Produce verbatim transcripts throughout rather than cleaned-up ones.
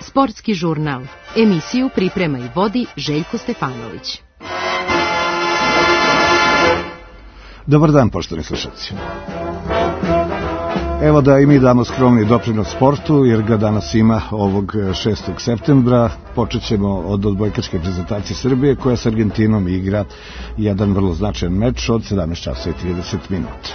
Sportski žurnal. Emisiju priprema i vodi Željko Stefanović. Dobar dan, poštovani slušalci. Evo da i mi damo skromni doprinos sportu, jer ga danas ima ovog šestog septembra. Počet ćemo od odbojkaške prezentacije Srbije, koja s Argentinom igra jedan vrlo značajan meč od sedamnaest časova i trideset minuta.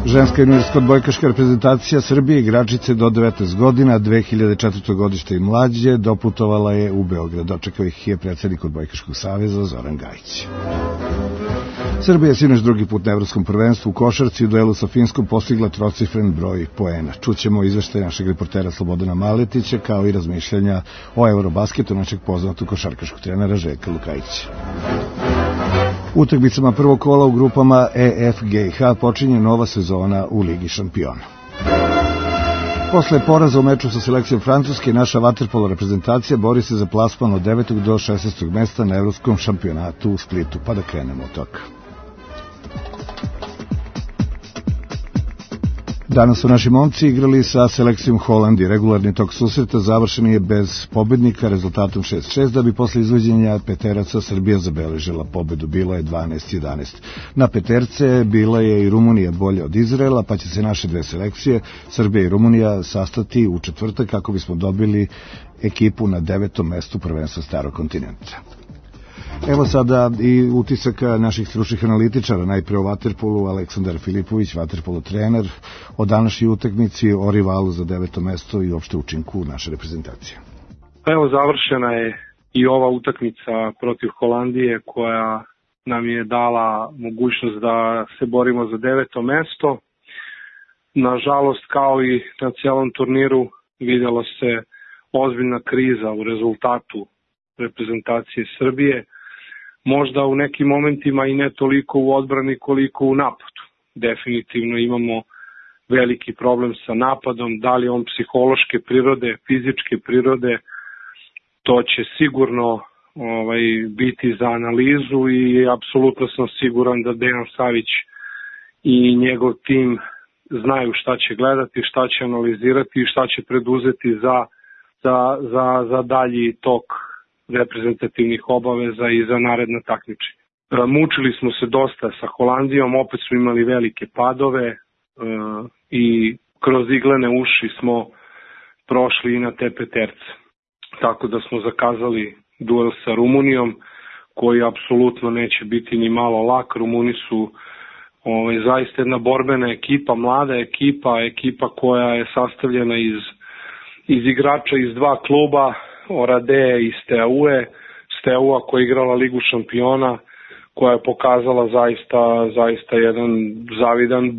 Ženska juniorska odbojkaška reprezentacija Srbije, igračice do devetnaest godina, dve hiljade četvrte. godište i mlađe, doputovala je u Beograd. Dočekao ih je predsednik Odbojkaškog saveza Zoran Gajić. Srbija je sinoć drugi put na evropskom prvenstvu u košarci u duelu sa Finskom postigla trocifren broj poena. Čućemo izveštaj našeg reportera Slobodana Maletića, kao i razmišljanja o Eurobasketu našeg poznatog košarkaškog trenera Željka Lukajića. Utakmicama prvog kola u grupama E F G H počinje nova sezona u Ligi šampiona. Posle poraza u meču sa selekcijom Francuske, naša vaterpolo reprezentacija bori se za plasman od devetog do šesnaestog mesta na evropskom šampionatu u Splitu, pa da krenemo od toga. Danas su naši momci igrali sa selekcijom Holandije. Regularni tok susreta završen je bez pobednika rezultatom šest šest, da bi posle izvođenja peteraca Srbija zabeležila pobedu. Bilo je dvanaest jedanaest. Na peterce bila je i Rumunija bolje od Izraela, pa će se naše dve selekcije, Srbija i Rumunija, sastati u četvrtak kako bismo dobili ekipu na devetom mestu prvenstva Starog kontinenta. Evo sada i utisaka naših stručnih analitičara, najpre o vaterpolu. Aleksandar Filipović, vaterpolo trener, o današnjoj utakmici, o rivalu za deveto mesto i opšte učinku naše reprezentacije. Evo, završena je i ova utakmica protiv Holandije, koja nam je dala mogućnost da se borimo za deveto mesto. Nažalost, kao i na celom turniru, vidjelo se ozbiljna kriza u rezultatu reprezentacije Srbije. Možda u nekim momentima i ne toliko u odbrani koliko u napadu. Definitivno imamo veliki problem sa napadom, da li on psihološke prirode, fizičke prirode, to će sigurno ovaj, biti za analizu i apsolutno sam siguran da Dejan Savić i njegov tim znaju šta će gledati, šta će analizirati i šta će preduzeti za, za, za, za dalji tok reprezentativnih obaveza i za naredna takmičenja. Mučili smo se dosta sa Holandijom, opet smo imali velike padove e, i kroz iglene uši smo prošli i na te peterce. Tako da smo zakazali duel sa Rumunijom, koji apsolutno neće biti ni malo lak. Rumuni su ovaj, zaista jedna borbena ekipa, mlada ekipa, ekipa koja je sastavljena iz, iz igrača iz dva kluba, Orade i Steaue, Steaua koja je igrala Ligu šampiona, koja je pokazala zaista, zaista jedan zavidan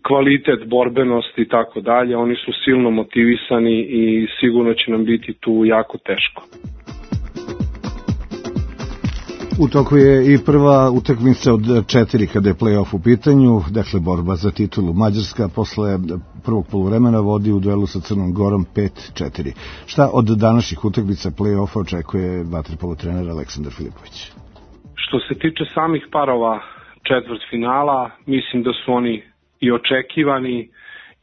kvalitet, borbenost i tako dalje. Oni su silno motivisani i sigurno će nam biti tu jako teško. U toku je i prva utakmica od četiri kada je play-off u pitanju, dakle borba za titulu. Mađarska posle prvog poluvremena vodi u duelu sa Crnom Gorom pet četiri. Šta od današnjih utakmica play-offa očekuje vaterpolo trener Aleksandar Filipović? Što se tiče samih parova četvrtfinala, mislim da su oni i očekivani,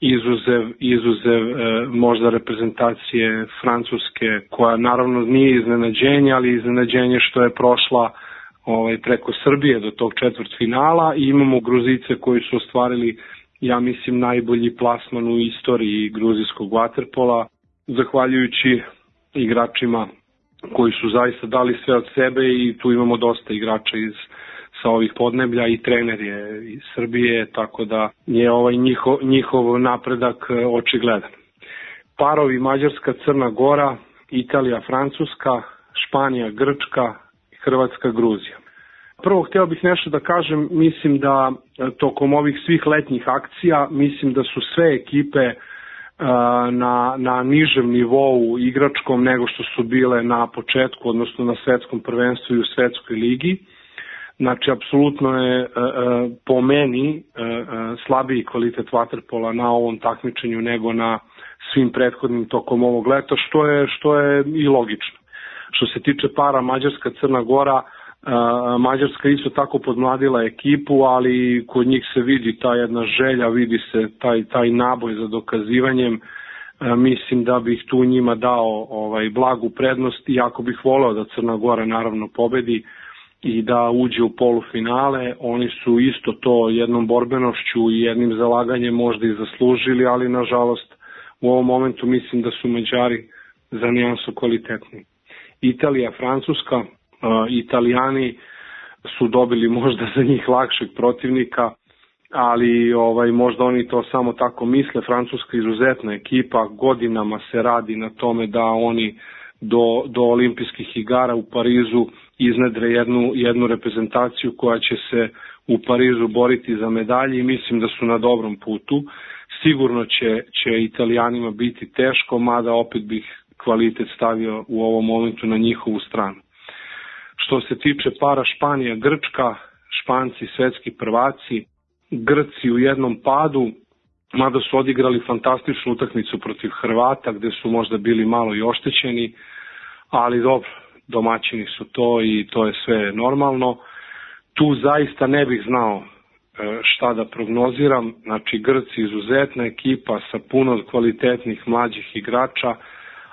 izuzev, izuzev e, možda reprezentacije Francuske, koja naravno nije iznenađenje, ali iznenađenje što je prošla ovaj, preko Srbije do tog četvrtfinala, i imamo Gruzice koji su ostvarili, ja mislim, najbolji plasman u istoriji gruzijskog vaterpola, zahvaljujući igračima koji su zaista dali sve od sebe, i tu imamo dosta igrača iz sa ovih podneblja i trener je iz Srbije, tako da je ovaj njihov, njihov napredak očigledan. Parovi Mađarska, Crna Gora, Italija, Francuska, Španija, Grčka, Hrvatska, Gruzija. Prvo, hteo bih nešto da kažem, mislim da tokom ovih svih letnjih akcija, mislim da su sve ekipe na, na nižem nivou igračkom nego što su bile na početku, odnosno na svetskom prvenstvu i u svetskoj ligi. Znači, apsolutno je e, po meni e, slabiji kvalitet vaterpola na ovom takmičenju nego na svim prethodnim tokom ovog leta, što je, što je i logično. Što se tiče para Mađarska, Crna Gora, e, Mađarska isto tako podmladila ekipu, ali kod njih se vidi ta jedna želja, vidi se taj, taj naboj za dokazivanjem. Mislim da bih tu njima dao ovaj, blagu prednost, iako bih voleo da Crna Gora naravno pobedi i da uđe u polufinale. Oni su isto to jednom borbenošću i jednim zalaganjem možda i zaslužili, ali nažalost u ovom momentu mislim da su Mađari za nijansu kvalitetni. Italija, Francuska, uh, Italijani su dobili možda za njih lakšeg protivnika, ali ovaj možda oni to samo tako misle. Francuska izuzetna ekipa, godinama se radi na tome da oni do, do olimpijskih igara u Parizu iznedre jednu, jednu reprezentaciju koja će se u Parizu boriti za medalje i mislim da su na dobrom putu. Sigurno će, će Italijanima biti teško, mada opet bih kvalitet stavio u ovom momentu na njihovu stranu. Što se tiče para Španija, Grčka, Španci svetski prvaci, Grci u jednom padu, mada su odigrali fantastičnu utakmicu protiv Hrvata gde su možda bili malo i oštećeni, ali dobro, domaćini su to i to je sve normalno. Tu zaista ne bih znao šta da prognoziram, znači Grci izuzetna ekipa sa puno kvalitetnih mlađih igrača,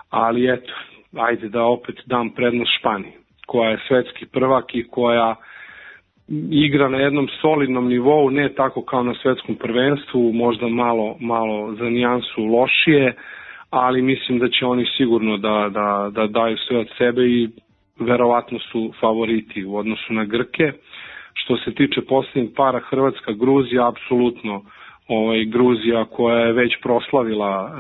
ali eto, ajde da opet dam prednost Španiji, koja je svetski prvak i koja igra na jednom solidnom nivou, ne tako kao na svetskom prvenstvu, možda malo, malo za nijansu lošije, ali mislim da će oni sigurno da, da, da daju sve od sebe i verovatno su favoriti u odnosu na Grke. Što se tiče posljednjeg para Hrvatska, Gruzija, apsolutno ovaj, Gruzija koja je već proslavila e,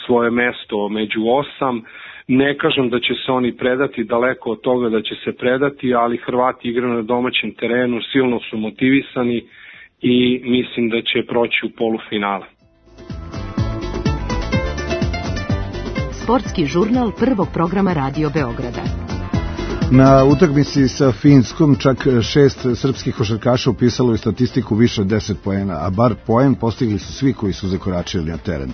svoje mesto među osam. Ne kažem da će se oni predati, daleko od toga da će se predati, ali Hrvati igraju na domaćem terenu, silno su motivisani i mislim da će proći u polufinale. Sportski žurnal prvog programa Radio Beograda. Na utakmici sa Finskom čak šest srpskih košarkaša upisalo je statistiku više od deset poena, a bar poen postigli su svi koji su zakoračili na teren.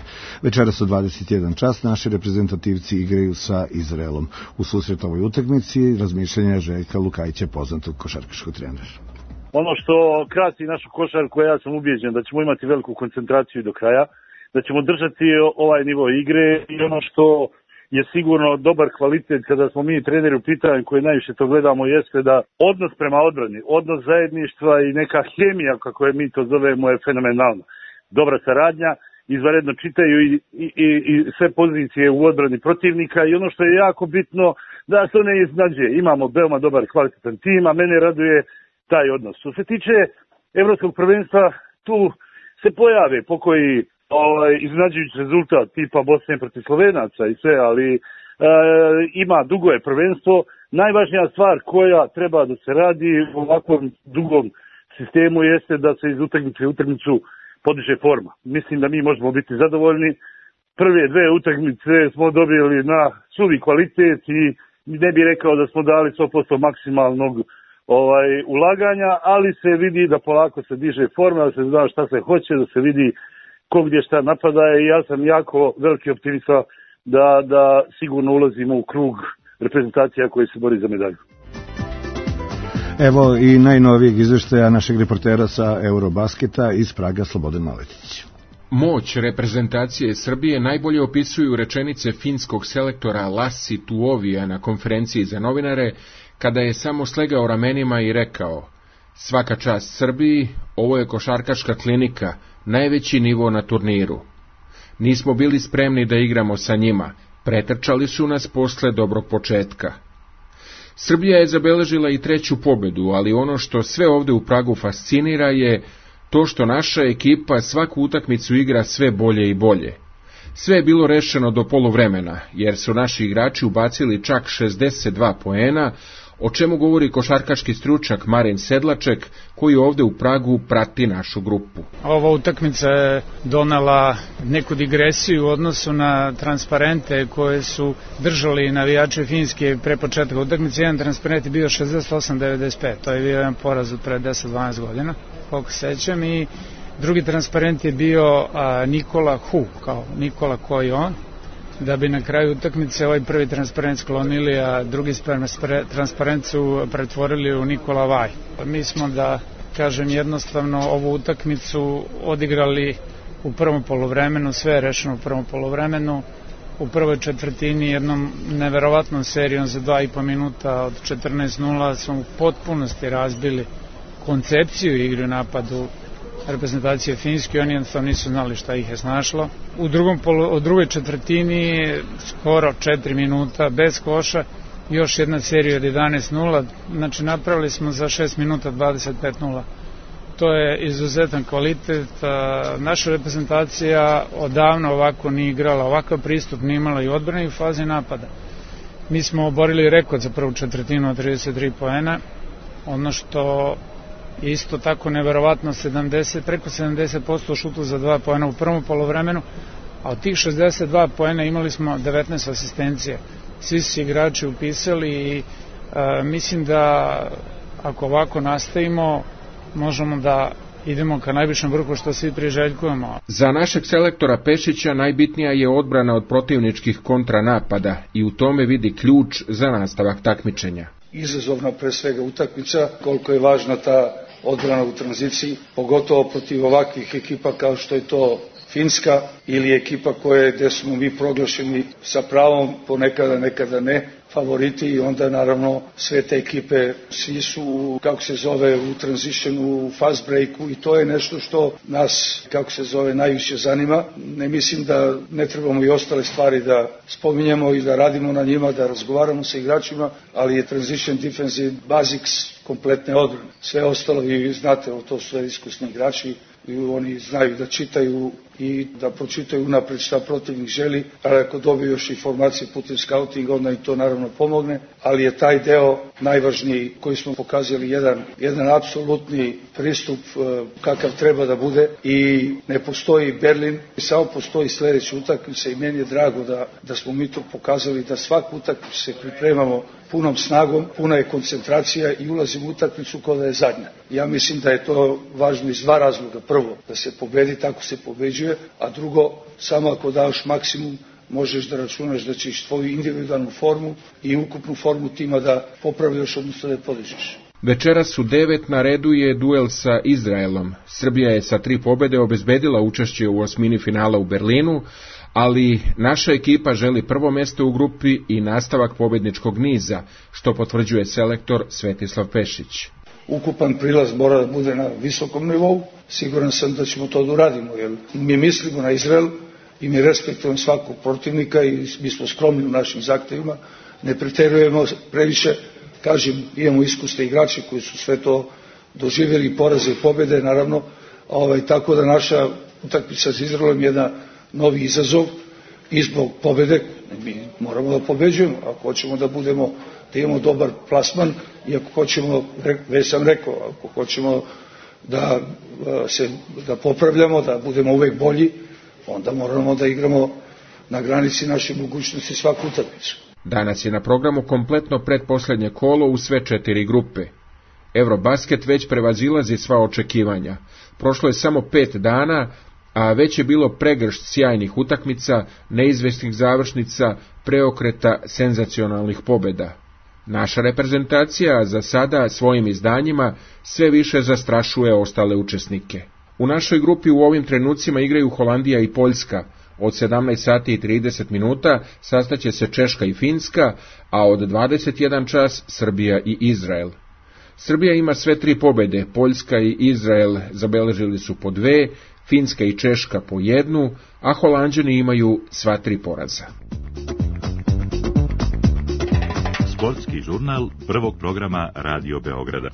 Večeras u dvadeset jedan čas naši reprezentativci igraju sa Izraelom. U susret ovoj utakmici razmišljanja Željka Lukajića, poznatog košarkaškog trenera. Ono što krasi našu košarku, ja sam ubijeđen da ćemo imati veliku koncentraciju do kraja, da ćemo držati ovaj nivo igre i ono što je sigurno dobar kvalitet kada smo mi treneri u pitanju koji najviše to gledamo jeste da odnos prema odbrani, odnos zajedništva i neka hemija, kako je mi to zovemo, je fenomenalna. Dobra saradnja, izvanredno čitaju i, i, i sve pozicije u odbrani protivnika i ono što je jako bitno da se ne iznađe. Imamo veoma dobar kvalitetan tim, a mene raduje taj odnos. Što se tiče evropskog prvenstva, tu se pojave pokoji ovaj, iznenađujući rezultat tipa Bosne protiv Slovenaca i sve, ali e, ima dugo je prvenstvo. Najvažnija stvar koja treba da se radi u ovakvom dugom sistemu jeste da se iz utakmice u utakmicu podiže forma. Mislim da mi možemo biti zadovoljni. Prve dve utakmice smo dobili na suvi kvalitet i ne bih rekao da smo dali sto posto maksimalnog ovaj, ulaganja, ali se vidi da polako se diže forma, da se zna šta se hoće, da se vidi ko gdje šta napadaje i ja sam jako veliki optimista da, da sigurno ulazimo u krug reprezentacija koji se bori za medalju. Evo i najnovijeg izveštaja našeg reportera sa Eurobasketa iz Praga, Slobodan Maletić. Moć reprezentacije Srbije najbolje opisuju rečenice finskog selektora Lassi Tuovija na konferenciji za novinare, kada je samo slegao ramenima i rekao: svaka čast Srbiji, ovo je košarkaška klinika, najveći nivo na turniru. Nismo bili spremni da igramo sa njima, pretrčali su nas posle dobrog početka. Srbija je zabeležila i treću pobedu, ali ono što sve ovde u Pragu fascinira je to što naša ekipa svaku utakmicu igra sve bolje i bolje. Sve je bilo rešeno do poluvremena, jer su naši igrači ubacili čak šezdeset dva poena, o čemu govori košarkaški stručnjak Marin Sedlaček, koji ovde u Pragu prati našu grupu. Ova utakmica je donela neku digresiju u odnosu na transparente koje su držali navijači Finske pre početka utakmice. Jedan transparent je bio šezdeset osam devedeset pet, to je bio jedan poraz od pre deset dvanaest godina, koliko sećam, i drugi transparent je bio a, Nikola Hu, kao Nikola koji on, da bi na kraju utakmice ovaj prvi transparent sklonili, a drugi transparent su pretvorili u Nikola Vaj. Mi smo, da kažem jednostavno, ovu utakmicu odigrali u prvom poluvremenu, sve je rešeno u prvom poluvremenu. U prvoj četvrtini jednom neverovatnom serijom za dva i po minuta od četrnaest nula smo u potpunosti razbili koncepciju igre u napadu reprezentacije Finjske, oni jednostavno nisu znali šta ih je snašlo. U, drugom polu, u drugoj četvrtini skoro četiri minuta bez koša, još jedna serija od jedanaest nula, znači napravili smo za šest minuta dvadeset pet nula. To je izuzetan kvalitet. Naša reprezentacija odavno ovako nije igrala, ovakav pristup nije imala i odbrane i u fazi napada. Mi smo oborili rekord za prvu četvrtinu od trideset tri poena, ono što je isto tako neverovatno, sedamdeset, preko sedamdeset posto šutu za dva poena u prvom poluvremenu, a od tih šezdeset dva poena imali smo devetnaest asistencija. Svi su igrači upisali i a, mislim da ako ovako nastavimo, možemo da idemo ka najvišem vrhu što svi priželjkujemo. Za našeg selektora Pešića najbitnija je odbrana od protivničkih kontranapada i u tome vidi ključ za nastavak takmičenja. Izazovna pre svega utakmica, koliko je važna ta odbrana u tranziciji, pogotovo protiv ovakvih ekipa kao što je to Finska ili ekipa koje gde smo mi proglašeni sa pravom, ponekada nekada ne, favoriti, i onda naravno sve te ekipe svi su, kako se zove, u transitionu, u fast breaku, i to je nešto što nas, kako se zove, najviše zanima. Ne mislim da ne trebamo i ostale stvari da spominjemo i da radimo na njima, da razgovaramo sa igračima, ali je transition defense basics kompletne odbrane. Sve ostalo, vi znate, to su sve iskusni igrači i oni znaju da čitaju i da pročitaju unapred šta protivnik želi, ali ako dobiju još informacije putem scoutinga, onda i to naravno pomogne, ali je taj deo najvažniji koji smo pokazali jedan, jedan apsolutni pristup kakav treba da bude, i ne postoji Berlin, samo postoji sledeća utakmica, i meni je drago da, da smo mi to pokazali, da svaku utakmicu se pripremamo punom snagom, puna je koncentracija i ulazimo u utakmicu kao da je zadnja. Ja mislim da je to važno iz dva razloga. Prvo, da se pobedi, tako se pobeđuje, a drugo, samo ako daš maksimum, možeš da računaš da ćeš tvoju individualnu formu i ukupnu formu tima da popravljaš, odnosno da je podižeš. Večeras u devet na redu je duel sa Izraelom. Srbija je sa tri pobede obezbedila učešće u osmini finala u Berlinu, ali naša ekipa želi prvo mesto u grupi i nastavak pobedničkog niza, što potvrđuje selektor Svetislav Pešić. Ukupan prilaz mora da bude na visokom nivou, siguran sam da ćemo to da uradimo, jer mi mislimo na Izrael i mi respektujemo svakog protivnika i mi smo skromni u našim zahtevima, ne preterujemo previše, kažem, imamo iskusne igrače koji su sve to doživjeli, poraze i pobjede, naravno, ovaj, tako da naša utakmica s Izraelom je jedan novi izazov i zbog pobjede mi moramo da pobeđujemo, ako hoćemo da budemo, da imamo dobar plasman, i ako hoćemo, već sam rekao, ako hoćemo da se da popravljamo, da budemo uvek bolji, onda moramo da igramo na granici naše mogućnosti svaku utakmicu. Danas je na programu kompletno pretposlednje kolo u sve četiri grupe. Eurobasket već prevazilazi sva očekivanja. Prošlo je samo pet dana, a već je bilo pregršt sjajnih utakmica, neizvesnih završnica, preokreta, senzacionalnih pobjeda. Naša reprezentacija za sada svojim izdanjima sve više zastrašuje ostale učesnike. U našoj grupi u ovim trenucima igraju Holandija i Poljska. Od sedamnaest sati i trideset minuta sastaće se Češka i Finska, a od dvadeset jedan čas Srbija i Izrael. Srbija ima sve tri pobjede, Poljska i Izrael zabeležili su po dve, Finska i Češka po jednu, a Holanđani imaju sva tri poraza. Sportski žurnal prvog programa Radio Beograda.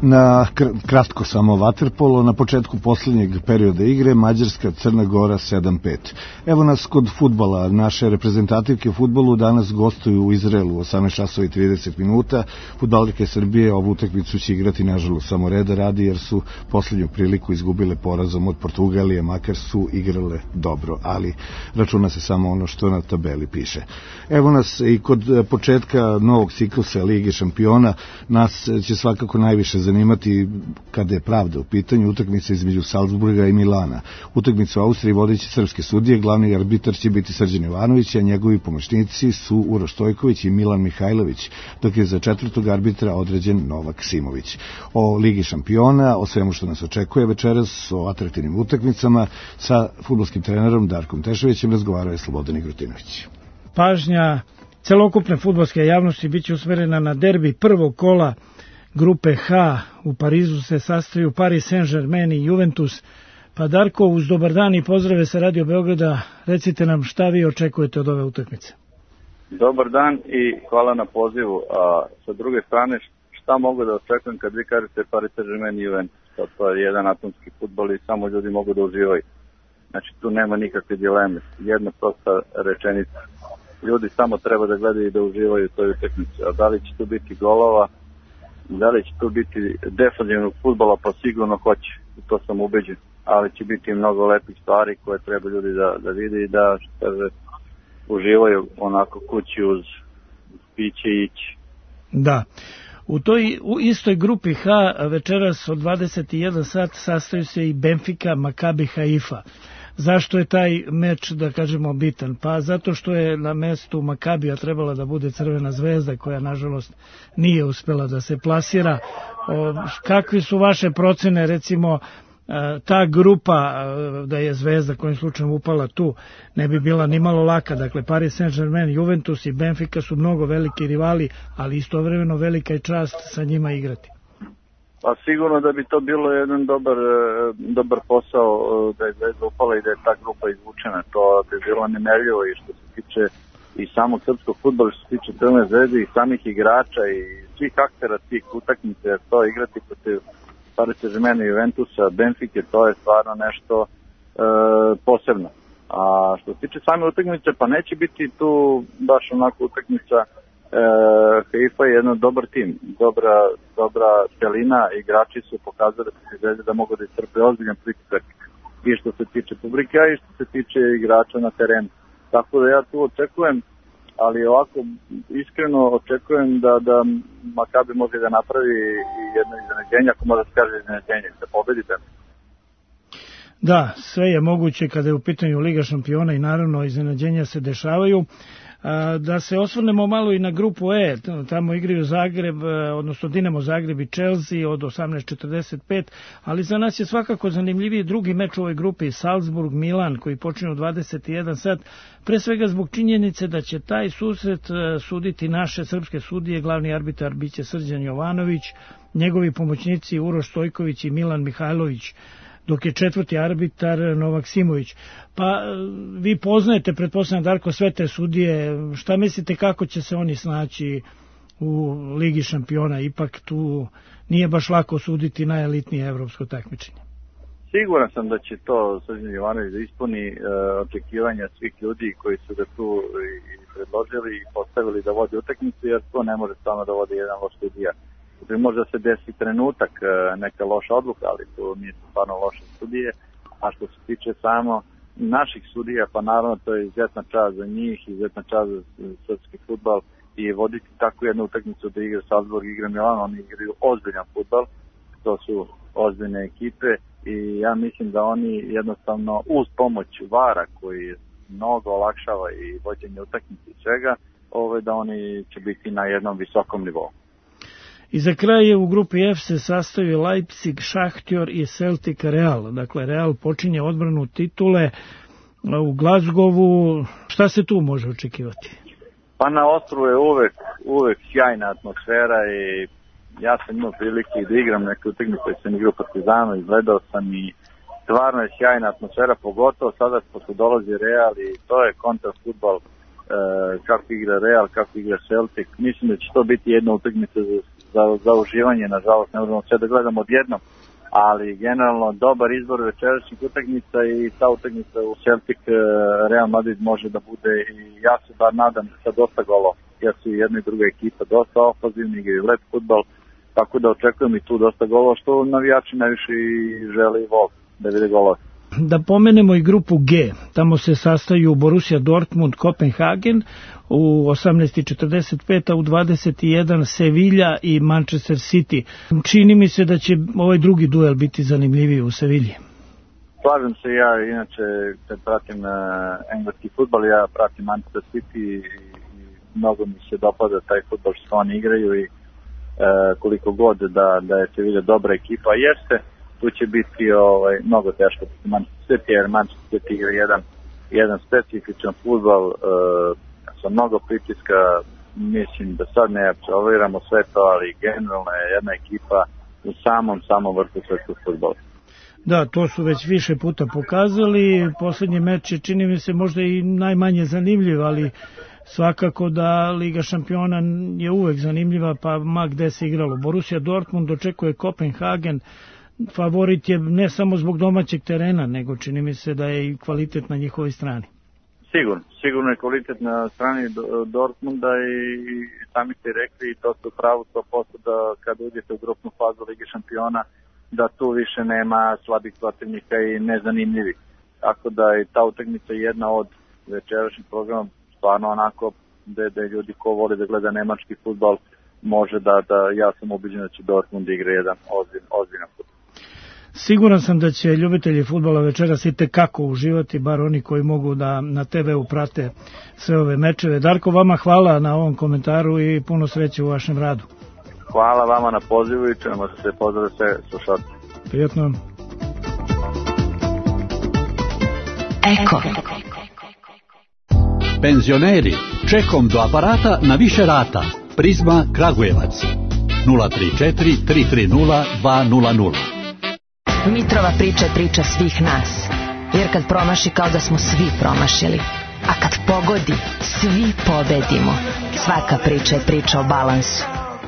Na kratko samo vaterpolo, na početku posljednjeg perioda igre Mađarska Crna Gora sedam pet. Evo nas kod fudbala. Naše reprezentativke u fudbalu danas gostuju u Izraelu u osamnaest časova i trideset minuta. Fudbalerke Srbije ovu utakmicu će igrati nažalost samo reda radi, jer su posljednju priliku izgubile porazom od Portugalije, makar su igrale dobro, ali računa se samo ono što na tabeli piše. Evo nas i kod početka novog ciklusa Lige šampiona. Nas će svakako najviše zanimati zanimati, kada je pravda u pitanju, utakmica između Salzburga i Milana. Utakmicu u Austriji vodeći srpske sudije, glavni arbitar će biti Srđan Jovanović, a njegovi pomoćnici su Uroš Stojković i Milan Mihajlović, dok je za četvrtog arbitra određen Novak Simović. O Ligi šampiona, o svemu što nas očekuje večeras, o atraktivnim utakmicama, sa fudbalskim trenerom Darkom Tešovićem razgovarao je Slobodan Igrotinović. Pažnja celokupne fudbalske javnosti biće usmerena na derbi prvog kola grupe H. U Parizu se sastaju Paris Saint-Germain i Juventus. Pa Darko, uz dobar dan i pozdrave sa Radio Beograda, recite nam šta vi očekujete od ove utakmice. Dobar dan i hvala na pozivu. A sa druge strane, šta mogu da očekujem kad vi kažete Paris Saint-Germain i Juventus? To, to je jedan atomski fudbal i samo ljudi mogu da uživaju. Znači tu nema nikakve dileme. Jedna prosta rečenica. Ljudi samo treba da gledaju i da uživaju u toj utakmici. A da li će tu biti golova, da li će tu biti defanzivnog fudbala, pa sigurno hoće. To sam ubeđen. Ali će biti mnogo lepih stvari koje treba ljudi da, da vide i da što uživaju onako kući uz piće i ići. Da. U toj u istoj grupi H večeras od dvadeset jedan sat sastaju se i Benfica, Makabi Haifa. Zašto je taj meč, da kažemo, bitan? Pa zato što je na mestu Makabija trebala da bude Crvena zvezda, koja nažalost nije uspela da se plasira. O, kakvi su vaše procene, recimo, ta grupa, da je Zvezda kojim slučajem upala tu, ne bi bila ni malo laka. Dakle, Paris Saint-Germain, Juventus i Benfica su mnogo veliki rivali, ali istovremeno velika je čast sa njima igrati. Pa sigurno da bi to bilo jedan dobar, dobar posao da je Zvezda upala i da je ta grupa izvučena. To bi bilo nemerljivo i što se tiče i samog srpskog fudbala, što se tiče Crvene zvezde i samih igrača i svih aktera tih utakmica, jer to igrati protiv Paris Saint-Germain i Juventusa, Benfike, to je stvarno nešto e, posebno. A što se tiče same utakmice, pa neće biti tu baš onako utakmica. e, Haifa je jedan dobar tim, dobra, dobra celina, igrači su pokazali da, da mogu da istrpe ozbiljan pritisak i što se tiče publike, a i što se tiče igrača na terenu. Tako da ja tu očekujem, ali ovako iskreno očekujem da, da Makabi može da napravi jedno iznenađenje, ako može da se kaže iznenađenje, da pobedite. Da, sve je moguće kada je u pitanju Liga šampiona i naravno iznenađenja se dešavaju. Da se osvrnemo malo i na grupu E, tamo igraju Zagreb, odnosno Dinamo Zagreb i Chelsea od osamnaest četrdeset pet, ali za nas je svakako zanimljiviji drugi meč u ovoj grupi, Salzburg Milan, koji počinje u dvadeset jedan sat, pre svega zbog činjenice da će taj susret suditi naše srpske sudije, glavni arbitar biće Srđan Jovanović, njegovi pomoćnici Uroš Stojković i Milan Mihajlović, dok je četvrti arbitar Novak Simović. Pa vi poznajete, pretpostavljam, Darko, sve te sudije. Šta mislite kako će se oni snaći u Ligi šampiona? Ipak tu nije baš lako suditi najelitnije evropsko takmičenje. Siguran sam da će to Srđan Jovanović da ispuni e, očekivanja svih ljudi koji su ga tu i predložili i postavili da vodi utakmicu, jer to ne može samo da vodi jedan loš sudija. Možda se desi trenutak, neka loša odluka, ali to nije stvarno loše sudije. A što se tiče samo naših sudija, pa naravno to je izuzetna čast za njih, izuzetna čast za srpski fudbal i voditi takvu jednu utakmicu da igra Salzburg, igra Milan, oni igraju ozbiljan fudbal, to su ozbiljne ekipe i ja mislim da oni jednostavno uz pomoć vara koji mnogo olakšava i vođenje utakmice i svega, ove, da oni će biti na jednom visokom nivou. I za kraj je u grupi F se sastavio Leipzig, Šahtjor i Celtic Real. Dakle, Real počinje odbranu titule u Glazgovu. Šta se tu može očekivati? Pa na Ostru je uvek, uvek sjajna atmosfera i ja sam imao prilike da igram neke utakmice koje sam igrao Partizanu, izgledao sam i stvarno je sjajna atmosfera, pogotovo sada pošto dolazi Real i to je kontra fudbal, e, kako igra Real, kako igra Celtic. Mislim da će to biti jedna utakmica za Za, za uživanje, nažalost, ne možemo sve da gledamo odjednom, ali generalno dobar izbor večerašnjih utakmica i ta utakmica u Celtic Real Madrid može da bude i ja se bar nadam sa dosta golova, jer su i jedna i druga ekipa dosta ofazivni, igraju lep fudbal, tako da očekujem i tu dosta golova, što navijači najviše žele i vole da vide golova. Da pomenemo i grupu G, tamo se sastaju Borussia Dortmund, Kopenhagen u osamnaest i četrdeset pet, a u dvadeset i jedan Sevilla i Manchester City. Čini mi se da će ovaj drugi duel biti zanimljiviji u Sevilji. Slažem se, ja inače kad pratim uh, engleski fudbal, ja pratim Manchester City i, i mnogo mi se dopada taj fudbal što oni igraju i uh, koliko god da, da je Sevilla dobra ekipa, jeste, tu će biti ovaj, mnogo teško Manchester City, jer Manchester City igra jedan, jedan specifičan fudbal uh, sa mnogo pritiska, mislim da sad ne apsolviramo sve to, ali generalno je jedna ekipa u samom, samom vrhu svetskog fudbala. Da, to su već više puta pokazali, poslednji meč je čini mi se možda i najmanje zanimljiv, ali svakako da Liga šampiona je uvek zanimljiva, pa ma gde se igralo. Borussia Dortmund očekuje Kopenhagen, favorit je ne samo zbog domaćeg terena, nego čini mi se da je i kvalitet na njihovoj strani. Sigurno, sigurno je kvalitet na strani Dortmunda i sami ste rekli, i to ste pravo sto posto da kad uđete u grupnu fazu Lige šampiona, da tu više nema slabih protivnika i nezanimljivih. Tako da je ta utakmica jedna od večerašnjih programa stvarno onako da, da ljudi ko voli da gleda nemački fudbal može da, da ja sam ubeđen da će Dortmund igra jedan ozbiljan, ozbiljan fudbal. Siguran sam da će ljubitelji fudbala večeras i tekako uživati, bar oni koji mogu da na te ve u prate sve ove mečeve. Darko, vama hvala na ovom komentaru i puno sreće u vašem radu. Hvala vama na pozivu i ćemo se pozdraviti sve slušalci. Prijatno. Eko. Penzioneri, čekom do aparata na više rata. Prizma Kragujevac. nula tri četiri tri tri nula dva nula nula. Mitrova priča je priča svih nas. Jer kad promaši kao da smo svi promašili. A kad pogodi, svi pobedimo. Svaka priča je priča o balansu.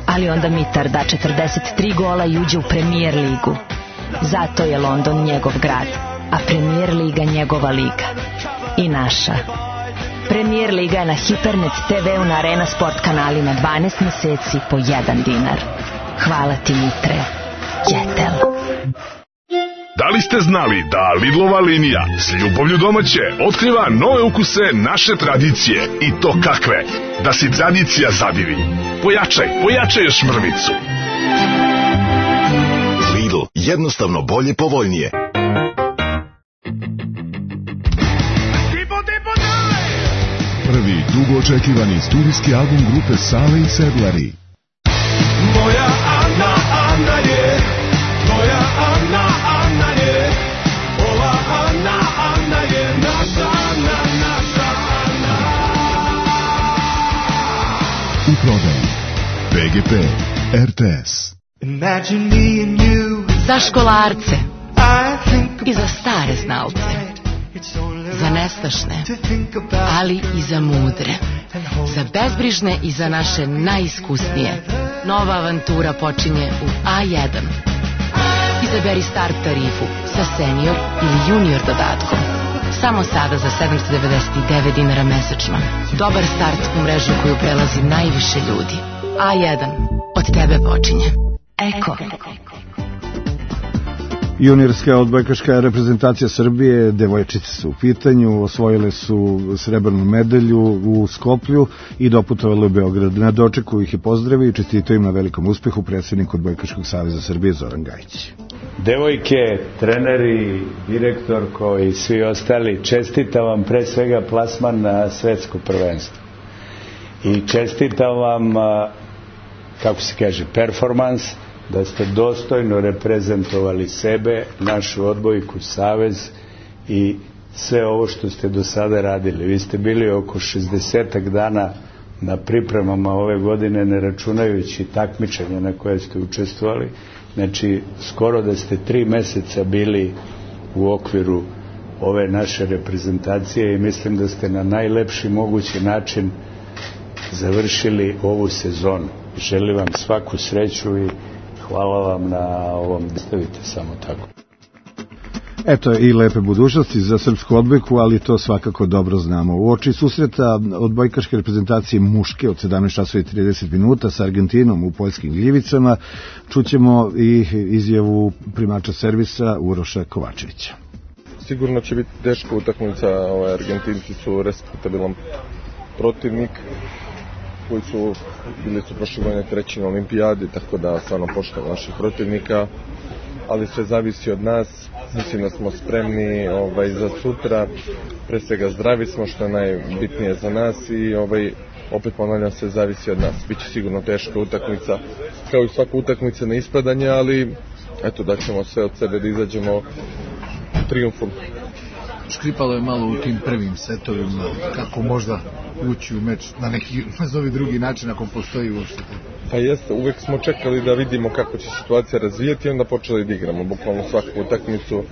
Ali onda Mitar da četrdeset tri gola i uđe u Premier ligu. Zato je London njegov grad, a Premier liga njegova liga. I naša. Premier liga je na Hipernet te ve-u na Arena Sport kanalima dvanaest meseci po jedan dinar. Hvala ti, Mitre. Jetel. Da li ste znali da Lidlova linija s ljubavlju domaće otkriva nove ukuse naše tradicije i to kakve? Da si tradicija zadivi. Pojačaj, pojačaj još mrvicu. Lidl, jednostavno bolje, povoljnije. Prvi dugo očekivani studijski album grupe Sale i Sedlari. Moja Ana, Ana je, moja Ana, Ana je, ova Ana, Ana je naša Ana, naša Ana. U prodaji be ge pe, er te es. Za školarce i za stare znalce, za nestašne, ali i za mudre, za bezbrižne i za naše najiskusnije. Nova avantura počinje u A jedan. Izaberi start tarifu sa senior ili junior dodatkom. Samo sada za sedamsto devedeset devet dinara mesečno. Dobar start u mrežu koju prelazi najviše ljudi. A jedan. Od tebe počinje. Eko. Juniorska odbojkaška reprezentacija Srbije, devojčice su u pitanju, osvojile su srebrnu medalju u Skoplju i doputovali u Beograd. Na dočeku ih je pozdravio i čestitao im na velikom uspehu predsjednik Odbojkaškog saveza Srbije Zoran Gajić. Devojke, treneri, direktorko i svi ostali, čestitam vam pre svega plasman na svetsko prvenstvo. I čestitam vam, kako se kaže, performans, da ste dostojno reprezentovali sebe, našu odbojku, savez i sve ovo što ste do sada radili. Vi ste bili oko šezdesetak dana na pripremama ove godine, ne računajući takmičenja na koje ste učestvovali. Znači, skoro da ste tri meseca bili u okviru ove naše reprezentacije i mislim da ste na najlepši mogući način završili ovu sezonu. Želim vam svaku sreću i hvala vam na ovom, stavite samo tako. Eto i lepe budućnosti za srpsku odbojku, ali to svakako dobro znamo. U oči susreta odbojkaške reprezentacije muške od sedamnaest časova i trideset minuta sa Argentinom u Poljskim Gljivicama čućemo i izjavu primača servisa Uroša Kovačevića. sigurno će biti teška utakmica, ovaj, Argentinci su respektabilan protivnik koji su bili su prošle godine treći na olimpijadi, tako da stvarno poštujem naših protivnika, ali sve zavisi od nas. Mislim da smo spremni ovaj, za sutra, pre svega zdravi smo, što je najbitnije za nas i ovaj, opet ponavljam, sve zavisi od nas. Biće sigurno teška utakmica, kao i svaka utakmica na ispadanje, ali eto, da ćemo sve od sebe da izađemo trijumfom. Škripalo je malo u tim prvim setovima, kako možda ući u meč na neki nazovi drugi način ako postoji uopšte. Pa jeste, uvek smo čekali da vidimo kako će situacija razvijeti i onda počeli da igramo bukvalno svaku utakmicu,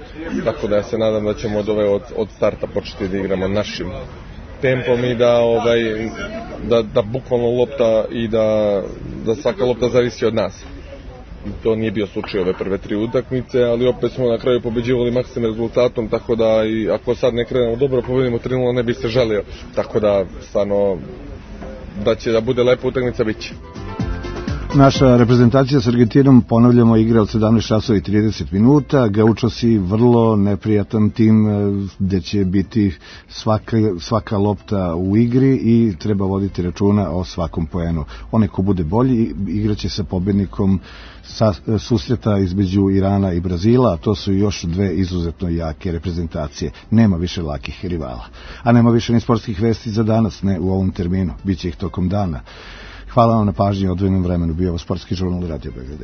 tako da ja se nadam da ćemo od ove od, od starta početi da igramo našim tempom i da ovaj da, da bukvalno lopta i da, da svaka lopta zavisi od nas. I to nije bio slučaj ove prve tri utakmice, ali opet smo na kraju pobeđivali maksimalnim rezultatom, tako da i ako sad ne krenemo dobro, pobedimo tri nula, ne bi se žalio. Tako da, stvarno, da će da bude lepa utakmica, bit će. Naša reprezentacija s Argentinom, ponavljamo, igra od sedamnaest časova i trideset minuta. Gaučosi vrlo neprijatan tim gde će biti svaka, svaka lopta u igri i treba voditi računa o svakom poenu. Onaj ko bude bolji igraće sa pobednikom sa susreta između Irana i Brazila, a to su još dve izuzetno jake reprezentacije. Nema više lakih rivala. A nema više ni sportskih vesti za danas, ne u ovom terminu. Biće ih tokom dana. Hvala vam na pažnji i odvojenom vremenu. Bio ovo Sportski žurnal Radio Beograd.